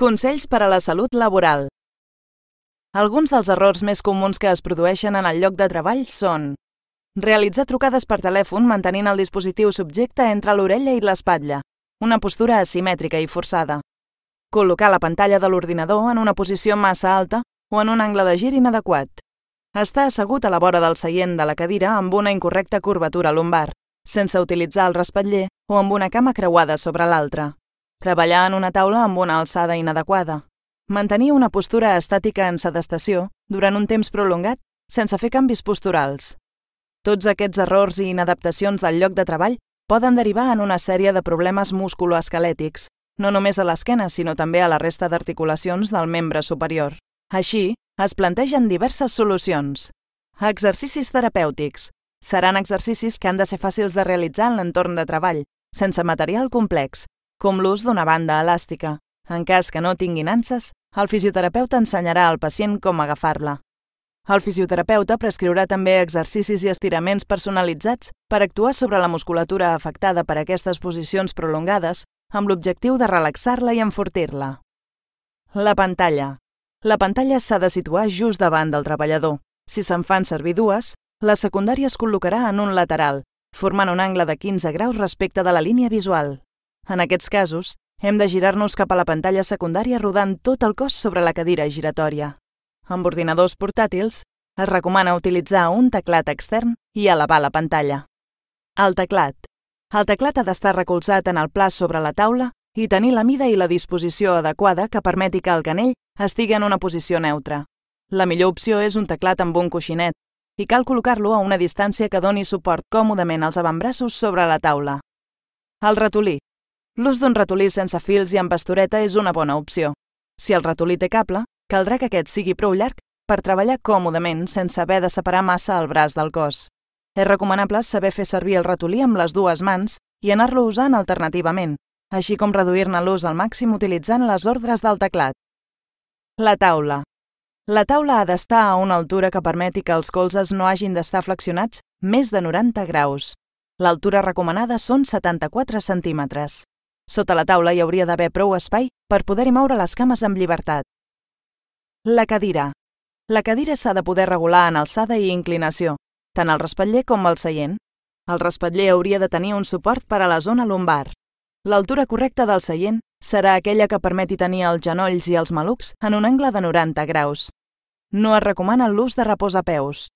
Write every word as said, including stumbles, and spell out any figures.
Consells per a la salut laboral. Alguns dels errors més comuns que es produeixen en el lloc de treball són realitzar trucades per telèfon mantenint el dispositiu subjecte entre l'orella i l'espatlla, una postura asimètrica i forçada. Col·locar la pantalla de l'ordinador en una posició massa alta o en un angle de gir inadequat. Estar assegut a la vora del seient de la cadira amb una incorrecta curvatura lumbar, sense utilitzar el respatller o amb una cama creuada sobre l'altra. Treballar en una taula amb una alçada inadequada. Mantenir una postura estàtica en sedestació durant un temps prolongat sense fer canvis posturals. Tots aquests errors i inadaptacions del lloc de treball poden derivar en una sèrie de problemes musculoesquelètics, no només a l'esquena sinó també a la resta d'articulacions del membre superior. Així, es plantegen diverses solucions. Exercicis terapèutics. Seran exercicis que han de ser fàcils de realitzar en l'entorn de treball, sense material complex, com l'ús d'una banda elàstica. En cas que no tingui nanses, el fisioterapeuta ensenyarà al pacient com agafar-la. El fisioterapeuta prescriurà també exercicis i estiraments personalitzats per actuar sobre la musculatura afectada per aquestes posicions prolongades amb l'objectiu de relaxar-la i enfortir-la. La pantalla. La pantalla s'ha de situar just davant del treballador. Si se'n fan servir dues, la secundària es col·locarà en un lateral, formant un angle de quinze graus respecte de la línia visual. En aquests casos, hem de girar-nos cap a la pantalla secundària rodant tot el cos sobre la cadira giratòria. Amb ordinadors portàtils, es recomana utilitzar un teclat extern i elevar la pantalla. El teclat. El teclat ha d'estar recolzat en el pla sobre la taula i tenir la mida i la disposició adequada que permeti que el canell estigui en una posició neutra. La millor opció és un teclat amb un coixinet i cal col·locar-lo a una distància que doni suport còmodament als avantbraços sobre la taula. El ratolí. L'ús d'un ratolí sense fils i amb bastureta és una bona opció. Si el ratolí té cable, caldrà que aquest sigui prou llarg per treballar còmodament sense haver de separar massa el braç del cos. És recomanable saber fer servir el ratolí amb les dues mans i anar-lo usant alternativament, així com reduir-ne l'ús al màxim utilitzant les ordres del teclat. La taula. La taula ha d'estar a una altura que permeti que els colzes no hagin d'estar flexionats més de noranta graus. L'altura recomanada són setanta-quatre centímetres. Sota la taula hi hauria d'haver prou espai per poder-hi moure les cames amb llibertat. La cadira. La cadira s'ha de poder regular en alçada i inclinació, tant el respatller com el seient. El respatller hauria de tenir un suport per a la zona lumbar. L'altura correcta del seient serà aquella que permeti tenir els genolls i els malucs en un angle de noranta graus. No es recomana l'ús de reposapeus.